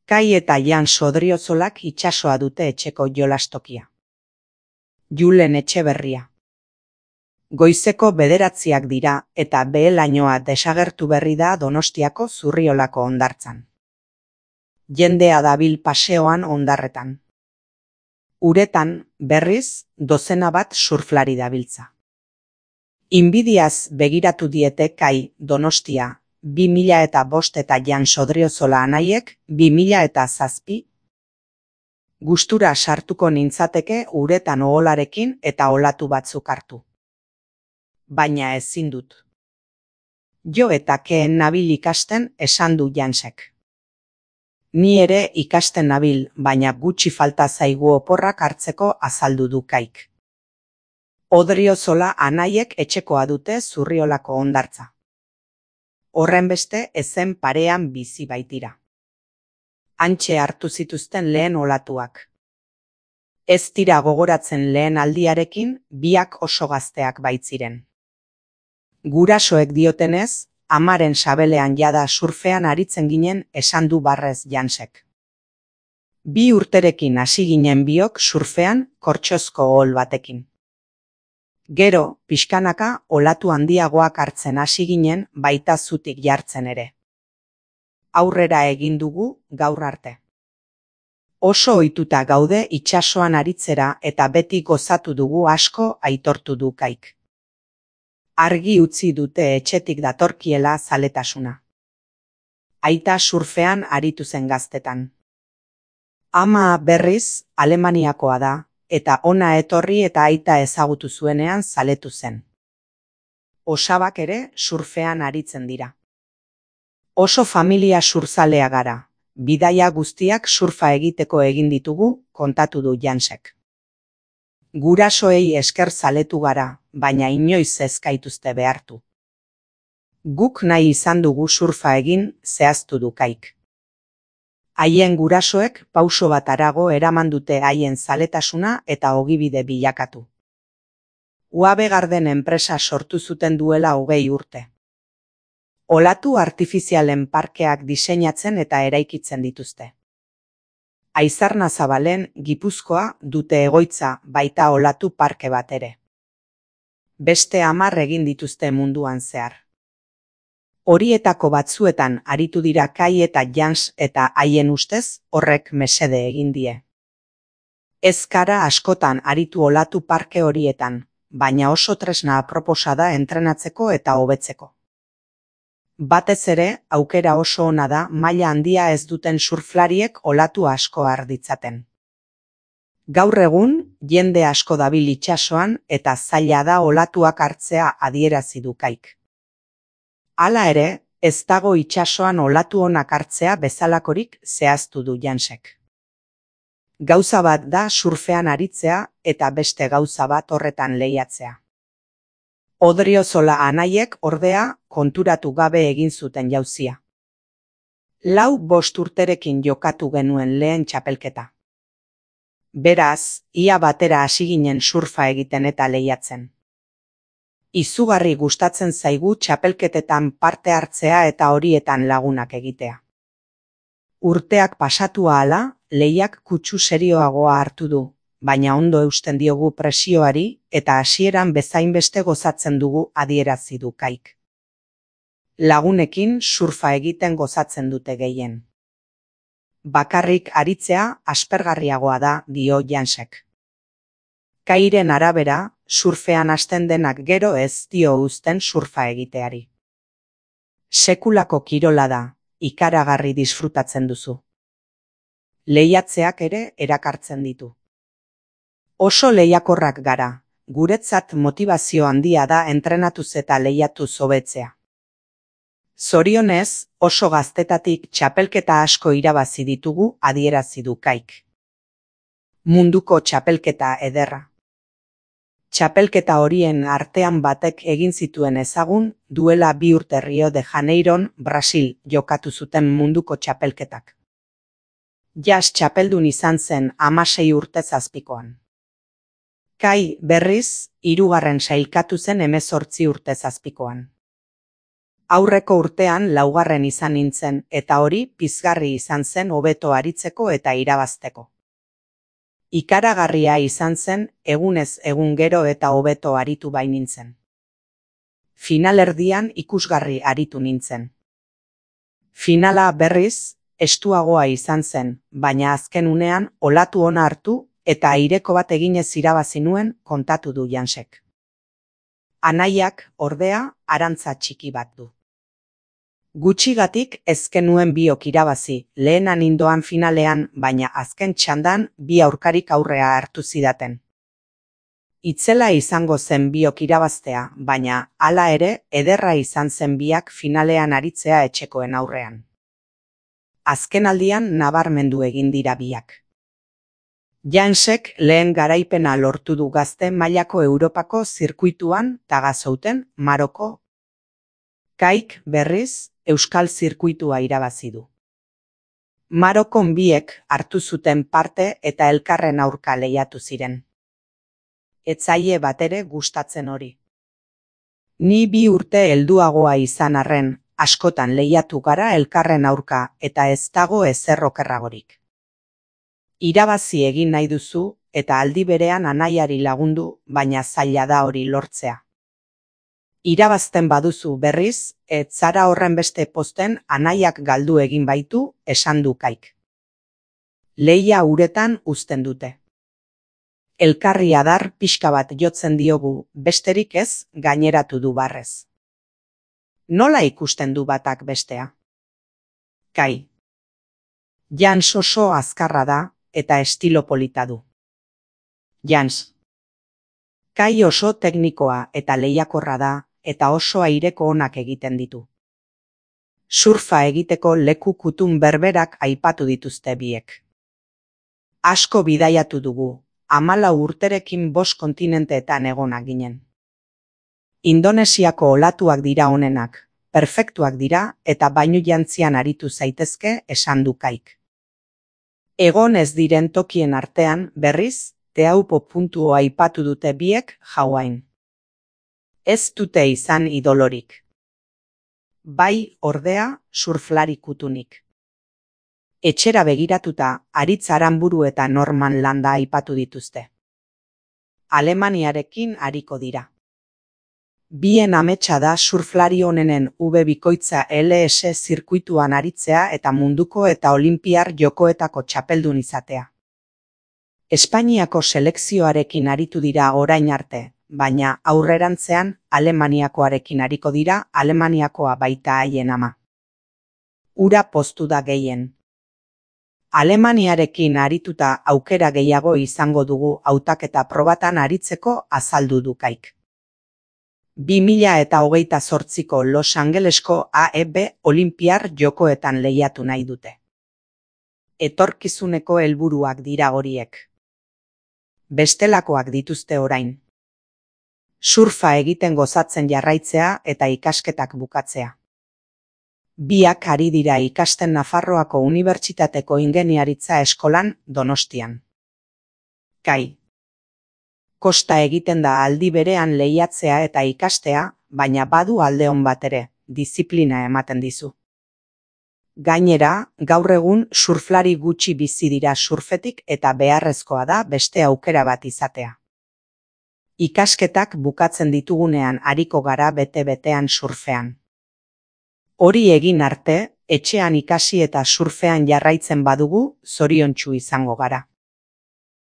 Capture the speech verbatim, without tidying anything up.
Kai eta Jan Sodriozolak itsasoa dute etxeko jolastokia. Julen Etxeberria. Goizeko bederatziak dira eta behe-lainoa desagertu berri da Donostiako Zurriolako hondartzan. Jendea dabil paseoan hondarretan. Uretan, berriz, dozena bat surflari dabiltza. Inbidiaz begiratu diete Kai, Donostia, bi mila eta bost eta Jan Sodriozola anaiek bi mila eta zazpi. Gustura sartuko nintzateke uretan oholarekin eta olatu batzuk hartu. Baina ezin dut. Jo eta keen nabil ikasten esan du Jansek. Ni ere ikasten nabil, baina gutxi falta zaigu oporrak hartzeko azaldu du Kaik. Odriozola anaiek etxekoa dute Zurriolako hondartza. Horrenbeste ezen parean bizi baitira. Hantxe hartu zituzten lehen olatuak. Ez dira gogoratzen lehen aldiarekin, biak oso gazteak baitziren. Gurasoek diotenez, amaren sabelean jada surfean aritzen ginen esan du barrez Jansek. Bi urterekin hasi ginen biok surfean kortxozko ohol batekin. Gero, pixkanaka olatu handiagoak hartzen hasi ginen baita zutik jartzen ere. Aurrera egin dugu gaur arte. Oso ohituta gaude itsasoan aritzera eta beti gozatu dugu asko aitortu du Kaik. Argi utzi dute etxetik datorkiela zaletasuna. Aita surfean aritu zen gaztetan. Ama berriz Alemaniakoa da, eta ona etorri eta aita ezagutu zuenean zaletu zen. Osabak ere surfean aritzen dira. Oso familia surzalea gara, bidaia guztiak surfa egiteko egin ditugu, kontatu du Jansek. Gurasoei esker zaletu gara, baina inoiz ez gaituzte behartu. Guk nahi izan dugu surfa egin, zehaztu du Kaik. Haien gurasoek pauso bat harago eraman dute haien zaletasuna eta ogibide bilakatu. U A B Garden enpresa sortu zuten duela hogei urte. Olatu artifizialen parkeak diseinatzen eta eraikitzen dituzte. Aizarnazabalen, Gipuzkoa, dute egoitza baita olatu parke bat ere. Beste hamar egin dituzte munduan zehar. Horietako batzuetan aritu dira Kai eta Jans eta haien ustez horrek mesede egin die. Ez gara askotan aritu olatu parke horietan, baina oso tresna aproposa da entrenatzeko eta hobetzeko. Batez ere, aukera oso ona da maila handia ez duten surflariek olatu asko har ditzaten. Gaur egun, jende asko dabil itsasoan eta zaila da olatuak hartzea adierazi du Kaik. Hala ere, ez dago itsasoan olatu onak hartzea bezalakorik zehaztu du Jansek. Gauza bat da surfean aritzea eta beste gauza bat horretan lehiatzea. Odriozola anaiek ordea konturatu gabe egin zuten jauzia. Lau bost urterekin jokatu genuen lehen txapelketa. Beraz, ia batera hasi ginen surfa egiten eta lehiatzen. Izugarri gustatzen zaigu txapelketetan parte hartzea eta horietan lagunak egitea. Urteak pasatu ahala, lehiak kutsu serioagoa hartu du, baina ondo eusten diogu presioari eta hasieran bezainbeste gozatzen dugu adierazi du Kaik. Lagunekin surfa egiten gozatzen dute gehien. Bakarrik aritzea aspergarriagoa da, dio Jansek. Kairen arabera, surfean hasten denak gero ez dio uzten surfa egiteari. Sekulako kirola da, ikaragarri disfrutatzen duzu. Lehiatzeak ere erakartzen ditu. Oso lehiakorrak gara, guretzat motivazio handia da entrenatuz eta lehiatuz hobetzea. Zorionez, oso gaztetatik txapelketa asko irabazi ditugu adierazi du Kaik. Munduko txapelketa ederra. Txapelketa horien artean batek egin zituen ezagun duela bi urte Rio de Janeiron, Brasil, jokatu zuten munduko txapelketak. Jas txapeldun izan zen hamasei urte zazpikoan. Kai berriz, hirugarren sailkatu zen hemezortzi urte zazpikoan. Aurreko urtean laugarren izan nintzen eta hori pizgarri izan zen hobeto aritzeko eta irabazteko. Ikaragarria izan zen egunez egun gero eta hobeto aritu bai nintzen. Finalerdian ikusgarri aritu nintzen. Finala berriz, estuagoa izan zen, baina azken unean olatu ona hartu eta aireko bat eginez irabazi nuen kontatu du Jansek. Anaiak, ordea, arantza txiki bat du. Gutxigatik ezken nuen biok irabazi, lehenan indoan finalean, baina azken txandan bi aurkarik aurrea hartu zidaten. Itzela izango zen biok irabaztea, baina hala ere ederra izan zen biak finalean aritzea etxekoen aurrean. Azken aldian nabarmendu egin dira biak. Jansek lehen garaipena lortu du gazte mailako Europako zirkuituan Tagazouten, Maroko. Kaik, berriz, Euskal zirkuitua irabazi du. Marokon biek hartu zuten parte eta elkarren aurka lehiatu ziren. Ez zaie batere gustatzen hori. Ni bi urte helduagoa izan arren, askotan lehiatu gara elkarren aurka eta ez dago ezer okerragorik. Irabazi egin nahi duzu eta aldi berean anaiari lagundu, baina zaila da hori lortzea. Irabazten baduzu berriz, ez zara horren beste posten anaiak galdu egin baitu, esan du Kaik. Lehia uretan uzten dute. Elkarri adar pixka bat jotzen diogu, besterik ez, gaineratu du barrez. Nola ikusten du batak bestea? Kai. Jans oso azkarra da eta estilo polita du. Jans. Kai oso teknikoa eta lehiakorra da eta oso aireko onak egiten ditu. Surfa egiteko leku kutun berberak aipatu dituzte biek. Asko bidaiatu dugu, hamalau urterekin bost kontinenteetan egonak ginen. Indonesiako olatuak dira onenak, perfektuak dira eta bainu jantzian aritu zaitezke esan du Kaik. Egon ez diren tokien artean, berriz, Teaupo puntua aipatu dute biek Hawain. Ez dute izan idolorik. Bai, ordea, surflari kutunik. Etxera begiratuta, Aritz Aranburu eta Norman Landa aipatu dituzte. Alemaniarekin ariko dira. Bien ametsa da surflari onenen U B bikoitza L S zirkuituan aritzea eta munduko eta olinpiar jokoetako txapeldun izatea. Espainiako selekzioarekin aritu dira orain arte, baina aurrerantzean Alemaniakoarekin ariko dira, Alemaniakoa baita haien ama. Ura poztu da gehien. Alemaniarekin arituta aukera gehiago izango dugu hautaketa probatan aritzeko azaldu du Kaik. bi mila eta hogeita zortziko Los Angelesko A E B olinpiar jokoetan lehiatu nahi dute. Etorkizuneko helburuak dira horiek. Bestelakoak dituzte orain. Surfa egiten gozatzen jarraitzea eta ikasketak bukatzea. Biak ari dira ikasten Nafarroako Unibertsitateko ingeniaritza eskolan Donostian. Kai. Kosta egiten da aldi berean lehiatzea eta ikastea, baina badu alde on bat ere, diziplina ematen dizu. Gainera, gaur egun surflari gutxi bizi dira surfetik eta beharrezkoa da beste aukera bat izatea. Ikasketak bukatzen ditugunean ariko gara bete-betean surfean. Hori egin arte, etxean ikasi eta surfean jarraitzen badugu, zoriontsu izango gara.